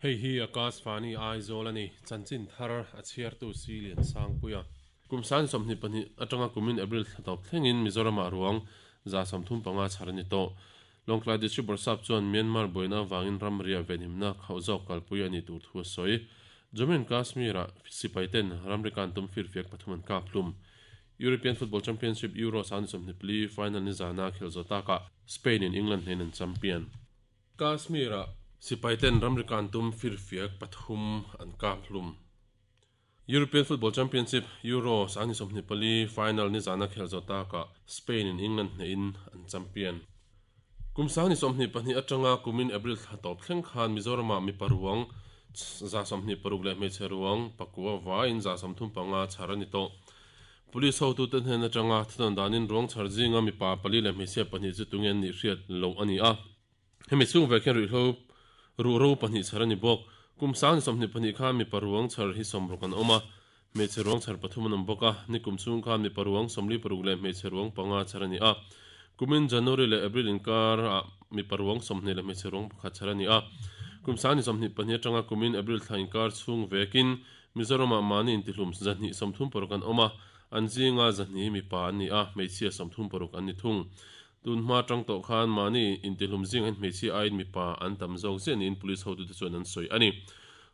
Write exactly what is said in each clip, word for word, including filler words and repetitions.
Hei hi Akashvani Aizawl ani chanchin thar a chhiartu si lian sangpuia kumsan sawmhnih pahnih atanga kumin April thla tawp thlengin Mizoram ah ruang za sawmthum panga chhar ani tawh. Lawngtlai District Bawrhsap chuan Myanmar buaina avangin ramria venhimna khauh zawk kalpui ani tur thu a sawi. Jammu and Kashmir ah sipai ten ramri kan tum firfiak pathum an kap hlum. European Football Championship Euro sangni sawmhnih pali final ni zana khel zawh takah Spain in England hnen an champion. Kashmir ah sipai ten ramri kan tum firfiak pathum an kap hlum. European Football Championship Euro sangni sawmhnih pali final ni zana khel zawh takah Spain in England hnen an champion. Kum sangni sawmhnih pahnih atanga kumin April thla tawp thleng khan Mizoram ah mi paruang za sawmhnih paruk leh hmeichhe ruang pakua vaiin za sawmthum panga chhar ani tawh. Police ho tu ten hnen atanga thudan danin ruang chhar zinga mi pa pali leh hmeichhia pahnih chu tunge an nih hriat lo ani a. Hemi chung ve khian ruihhlo ru ro pahnih chhar ani bawk. Kum sangni sawmhnih pahnih khan mi paruang chhar hi sawmruk an awm a, hmeichhe ruang chhar pathum an awm bawk a. Ni kum chung khan mi paruang sawmli paruk leh hmeichhe ruang panga chhar ani a. Kumin January leh April inkar ah mi paruang sawmhnih leh hmeichhe ruang pakhat chhar ani a. Kum sangni sawmhnih pahnih atanga kumin April thla inkar chhung vekin Mizoram ah mahni intihlum zahnih sawmthum paruk an awm a, an zinga zahnih mi pa an ni a, hmeichhia sawmthum paruk an ni thung. Tun hma tang tawh khan mahni intihlum zing an hmeichhia aiin mi pa an tam zawk ziah niin police hotu te chuan an sawi ani.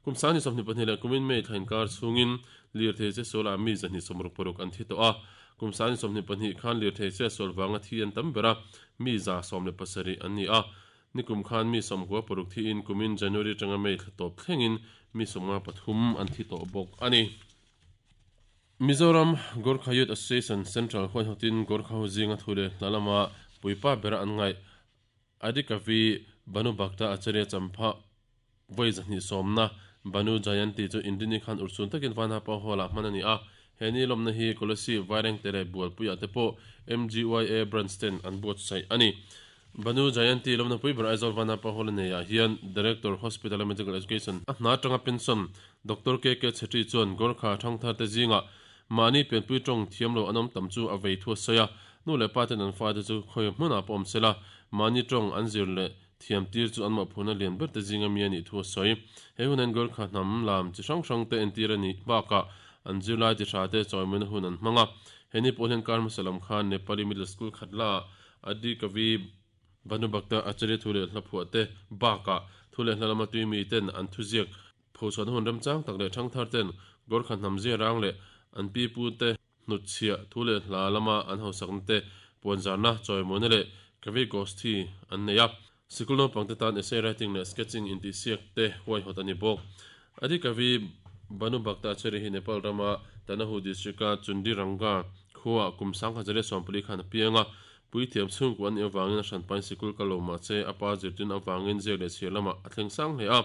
Kum sangni sawmhnih pahnih leh kumin May thla inkar chhungin lirthei che sual ah mi zahnih sawmruk paruk an thi tawh a. Kum sangni sawmhnih pahnih khan lirthei che sual vanga thi an tam ber a, mi za sawm leh pasarih an ni a. Ni kum khan mi sawmkua paruk thi in kumin January tanga May thla tawp thlengin mi sawmnga pathum an thi tawh bawk ani. Mizoram Gorkha Youth Association Central huaihawtin Gorkha ho zinga thu leh hla lama puipa bera an ngaih Adikavi Banu Bhakta Acharya Champha vawi zahnih sawmna Banu Jayanti chu Indini khan urchun takin Vanapa Hall ah hman ani a. He ni lawmna hi Kolasib Vairengte leh Bualpuiah te pawh M G Y A branch ten an buatsaih ani. Banu Jayanti lawmna pui ber Aizawl Vanapa Hall a nei ah hian Director Hospital and Medical Education a hna atanga pension Doctor K K Chhetri chuan Gorkha thangthar te zingah mahni pianpui tawng thiam lo an awm tam chu a vei thu a sawi a. Nu leh pa ten an fa te chu khawi hmunah pawh awm sela mahni tawng an zir leh thiam tir chu an mawhphurhna lian ber te zinga mi a nih thu a sawi. He hunin Gorkha hnam lam chi hrang hrang te entir a nih bakah an zirlai ti hra te chawimawina hun an hmang a. He ni pawh hian kar hmasa lam khan Nepali Middle School Khatla Adi Kavi Banu Bhakta Acharya thu leh hla phuah te bakah thu leh hla lama tui mi ten an thuziak phochhuahna hun remchang tak leh thangthar ten Gorkha hnam zia rang leh an pi pu te hnutchhiah thu leh hla lama an hausakna te puanzarna chawimawina leh Kavi Gosthi an nei a. Sikul naupang te tan essay writing leh sketching intihsiak te huaihawt ani bawk. Adi Kavi Banu Bhakta Acharya hi Nepal rama Tanahu district a Chundi Ranga khuaa kum sangkhat zariat sawmpali khan a piang a. Puithiam chhungku an nih avangin a hranpain sikul ka lo mah che a pa zirtin avangin ziak leh chhiar lamah a thleng sang hle a.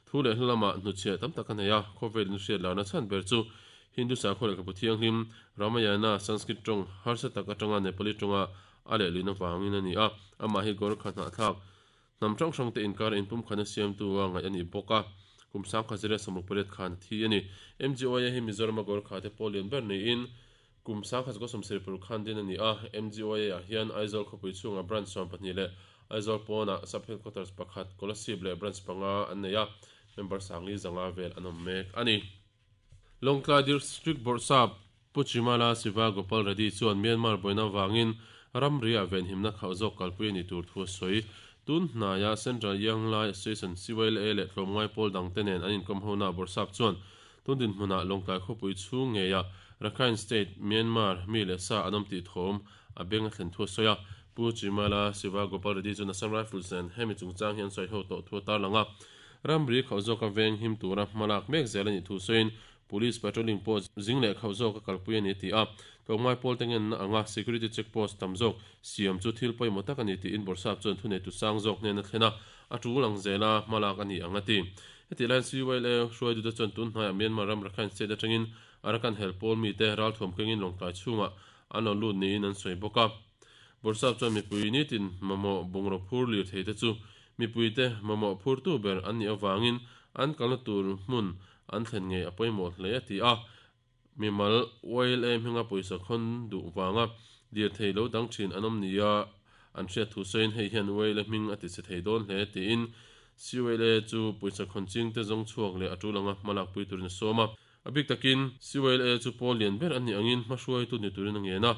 Thu leh hla lamah hnuchhiah tam tak a nei a. Khawvelin hriat larna chhan ber chu Hindu sakhaw lehkhabu thianghlim Ramayana Sanskrit tawng harsa tak atanga Nepali tawnga a lehlin avangin a ni a. Amah hi Gorkha hnahthlak hnam hrang hrang te inkar inpumkhatna siamtu a ngaih a nih bawk a. Kum sangkhat zariat sawmruk pariat khan a thi a ni. M G Y A hi Mizoram a Gorkha te pawh lian ber niin kum sangkhat zakua sawmsarih paruk khan din a ni a. M G Y A ah hian Aizawl khawpui chhungah branch sawm pahnih leh Aizawl pawnah sub headquarters pakhat Kolasib leh branch panga an nei a. Member sangli zanga vel an awm mek a ni. Lawngtlai District Bawrhsap Pu Chimala Siva Gopal Reddy chuan Myanmar buaina avangin ramria venhimna khauh zawk kalpui a ni tur thu a sawi. Tun hnaia Central Young Lai Association C Y L A leh tlawmngai pawl dang te nen an inkawm hona Bawrhsap chuan tun dinhmunah Lawngtlai khawpui chhung ngeia Rakhine State Myanmar mi leh sa an awm tih thawm a beng a thlen thu a sawi a. Pu Chimala Siva Gopal Reddy chuan Assam Rifles nen hemi chungchang hi an sawi ho tawh thu a tarlang a. Ramri khauh zawk a veng him tura hmalak mek zel a nih thu sawiin police patrolling pawh zing leh khauh zawk a kalpui a ni ti a. Tlawmngai pawl te ngenna anga security check post tam zawk siam chu thil pawimawh tak a ni tiin Bawrhsap chuan thuneitu sang zawk hnen a thlen a, a tul ang zela hmalak a ni ang a ti. Heti laiin C Y L A hruai duhte chuan tun hnaiah Myanmar ram Rakhine State atangin Arakan hel pawl mi te ralthuam kengin Lawngtlai chhungah an lo lut niin an sawi bawk a. Bawrhsap chuan mipui nitin mamawh bungraw phur lir thei te chu mipui te mamawh phur tu ber an nih avangin an kalna tur hmun an thlen ngei a pawimawh hle a ti a. Mimal Y L A hminga pawisa khawn duh wanga dir thei lo dang thin an awm nia an hriat thu sawiin hei hian Y L A hming a ti che thei dawn hle tiin C Y L A chu pawisa khawn ching te zawng chhuak leh a tulanga hmalak pui turin a sawm a. A bik takin C Y L A chu pawl lian ber an ni angin hmahruai tu ni turin a ngen a.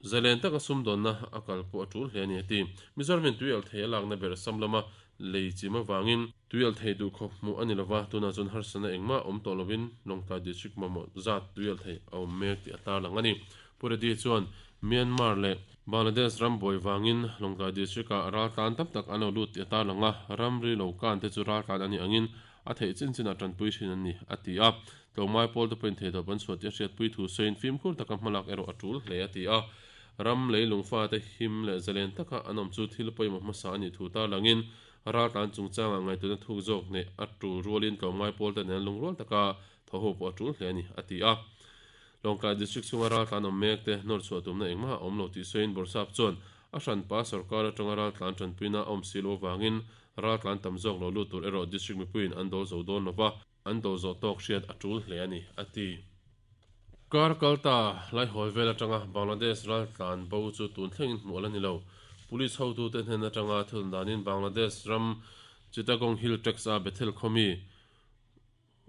Zalen taka sumdawnna a kal pawh a tul hle a ni a ti. Mizoramin tuial thei a lakna ber sam lama lei chim awangin tuial thei duh khawp hmuh a ni lova, tunah chuan harsana engmah awm tawh lovin Lawngtlai District mamawh zat tuial thei a awm mek tih a tarlang a ni. Pu Reddy chuan Myanmar leh Bangladesh ram buai wangin Lawngtlai District ah ral tlan tam tak an lo lut tih a tarlang a, ramri lo kan te chu ral tlan a ni angin a theih chin chin ah tanpui thin an ni a ti a. Tlawmngai pawl te pawhin thei tawp an chhuah tih a hriatpui thu sawiin fimkhur taka hmalak erawh a tul hle a ti a. Ram leilung fa te him leh zalen taka an awm chu thil pawimawh hmasa a nih thu tarlangin ral tlan chungchangah ngaihtuahna thuk zawk nei a tul rualin tlawmngai pawl te nen lungrual taka thaw ho pawh a tul hle a ni a ti a. Lawngtlai District chhunga ral tlan awm mek te nawr chhuah tumna engmah a awm lo tih sawiin Bawrhsap chuan a hranpa sarkar atanga ral tlan tanpuina a awm si lo awangin ral tlan tam zawk lo lut tur erawh district mipuiin an dawl zo dawn lova, an dawl zawh tawk hriat a tul hle a ni a ti. Kar kalta lai hawi vel atanga Bangladesh ral tlan bo chu tun thlengin hmuh ala ni lo. Police hotu te hnen atanga thil danin Bangladesh ram Chittagong Hill Tracts a Bethel khomi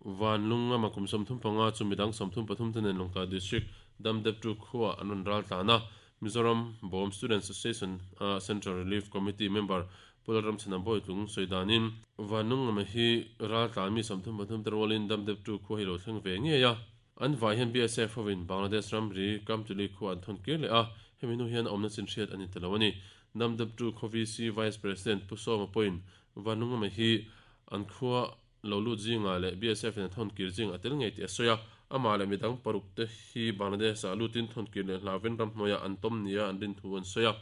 Van lunga ma kum sawmthum panga chu midang sawmthum pathum te nen Lawngtlai District Damdep tu khuwa an rawn ral tlan a. Mizoram Bawm Students Association a Central Relief Committee member Pularam Chhanam Bawitlung sawi danin Van lunga ma hi ral tlan mi sawmthum pathum te rualin Damdep tu khuwa hi lo thleng ve ngei a. An vai hian B S F hovin Bangladesh ram ri Kamtuli khuwa an thawn kir leh a, hemi hnu hian awmna chin hriat ani telo ani. Damdep tu khaw V C Vice President Pu Sawma pawhin Van lunga ma hi an khuwa lo lut zinga leh B S F in a thawn kir zing a tel ngei tih a sawi a. Ama leh midang paruk te hi Bangladesh ah lutin thawn kir leh hlawin ram hnuaiah an tawm nia an rin thu an sawi a.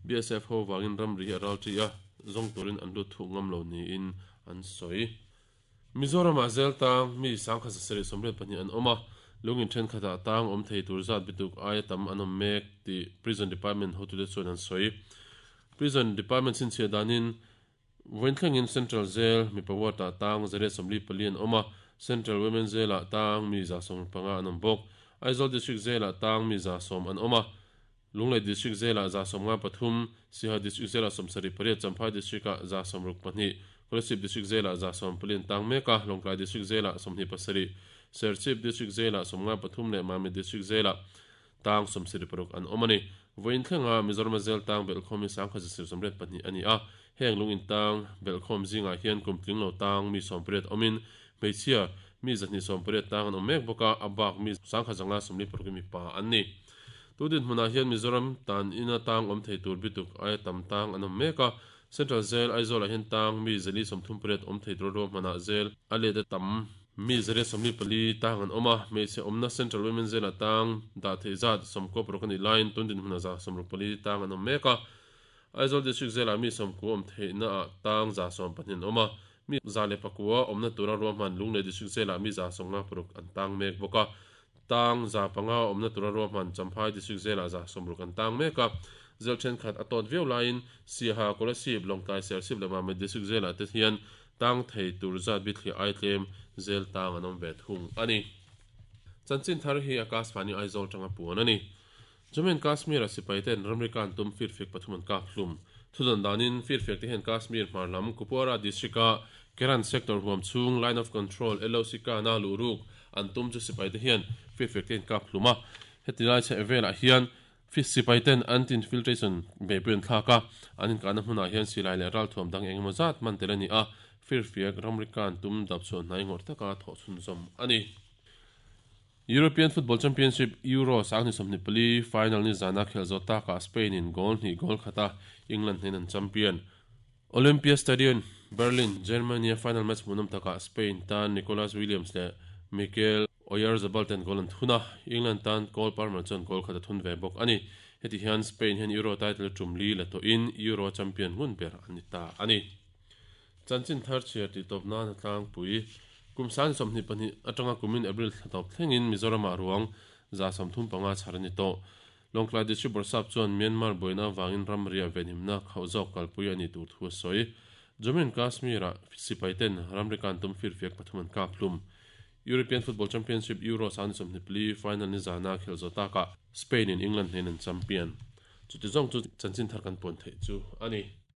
B S F ho wangin ram ri hi a ral thi a, zawng turin an lut thuk ngam lo niin an sawi. Mizoram ah zel tang mi sangkhat sasarih sawmriat pahnih an awm a, lungin thenkhatah tang awm thei tur zat bituk aia tam an awm mek tih Prison Department hotute chuan an sawi. Prison Department chhinchhiah danin Vainthlengin Central Jail mipa ward ah tang zariat sawmli pali an awm a, Central Women Jail ah tang mi za sawm panga an awm bawk. Aizawl District Jail ah tang mi za sawm an awm a, Lunglei District Jail ah za sawm nga pathum, Siaha District Jail ah sawmsarih pariat, Champhai District ah za sawmruk pahnih, Kolasib District Jail ah za sawm pali an tang mek a, Lawngtlai District Jail ah sawmhnih pasarih, Serchhip District Jail ah sawm nga pathum leh Mamit District Jail ah tang sawmsarih paruk an awm ani. Vainthleng Mizoram Jail tang belkhawm hi sangkhat zasir sawmriat pahnih ani a, heng lungin tang belkhawm zingah hian kum tling lo tang mi sawmpariat awmin hmeichhia mi zahnih sawmpariat tang an awm mek bawk a, a bak mi sangkhat zanga sawmli paruk mi pa an ni. Tudin hmunah hian Mizoram tan ina tang awm thei tur bituk aia tam tang an awm mek a, Central Jail Aizawl ah hian tang mi zali sawmthum pariat awm thei tur ruahmanah jail a let a tam mi zariat sawmli pali tang an awm a, hmeichhe awmna Central Women Jail ah tang dah thei zat sawmkaw paruk ani laiin tundin hmunah za sawmruk pali tang an awm mek a. Aizawl District Jail ah mi sawmku awm theihna ah tang za sawm pahnih an awm a, mi za leh pakua awmna tura ruahman Lunglei District Jail ah mi za sawmnga paruk an tang mek bawk a, tang za panga awmna tura ruahman Champhai District Jail ah za sawmruk an tang mek a. Jail thenkhat a tawt viau laiin Siaha Kolasib Lawngtlai Serchhip leh Mamit District Jail ah te hian tang thei tur zat bithliah ai tlem jail tang an awm ve thung ani. Chanchin thar hi Akashvani Aizawl tanga puan ani. Jammu and Kashmir a sipai ten ramri kan tum firfiak pathum an kap hlum. Thudan danin firfiak te hian Kashmir hmarlam Kupwara District a Keran sector huam chung line of control L O C ka na luruk an tum chu sipai te hian firfiak te hian kap hlum a. Heti lai che velah hian sipai ten anti-infiltration beipui an thlak a, an inkahna hmunah hian silai leh ral thuam dang engemaw zat man tel ani a, firfiak ramri kan tum dap chuan hnai ngawr taka thawh chhun zawm ani. European Football Championship Euro sangni sawmhnih pali final ni zana khel zo taka Spain in goal hnih goal khata England hnen an champion. Olympia Stadion Berlin Germany final match hmunawm taka Spain tan Nicolas Williams leh Mikel Oyarzabal ten goal an thuna, England tan Cole Palmer chuan goal khata thun ve bawk ani. Heti hian Spain hian Euro title tum li la to in Euro champion ngun ber ani ta ani. Chanchin thar chhiar ti tawp nan tlang pui kum san sawmhnih pahnih atanga kumin April thla tawp thlengin Mizoram ah ruang za sawmthum panga chhar ani tawh. Lawngtlai District Bawrhsap chuan Myanmar buaina wangin ramria venhimna khauh zawk kalpui ani tur thu a sawi. Jammu and Kashmir ah sipai ten ramri kan tum firfiak pathum an kap hlum. European Football Championship Euro sangni sawmhnih pali final ni zana khel zo taka Spain in England hnen an champion. Chuti zawng chu chanchin thar kan puan theih chu ani.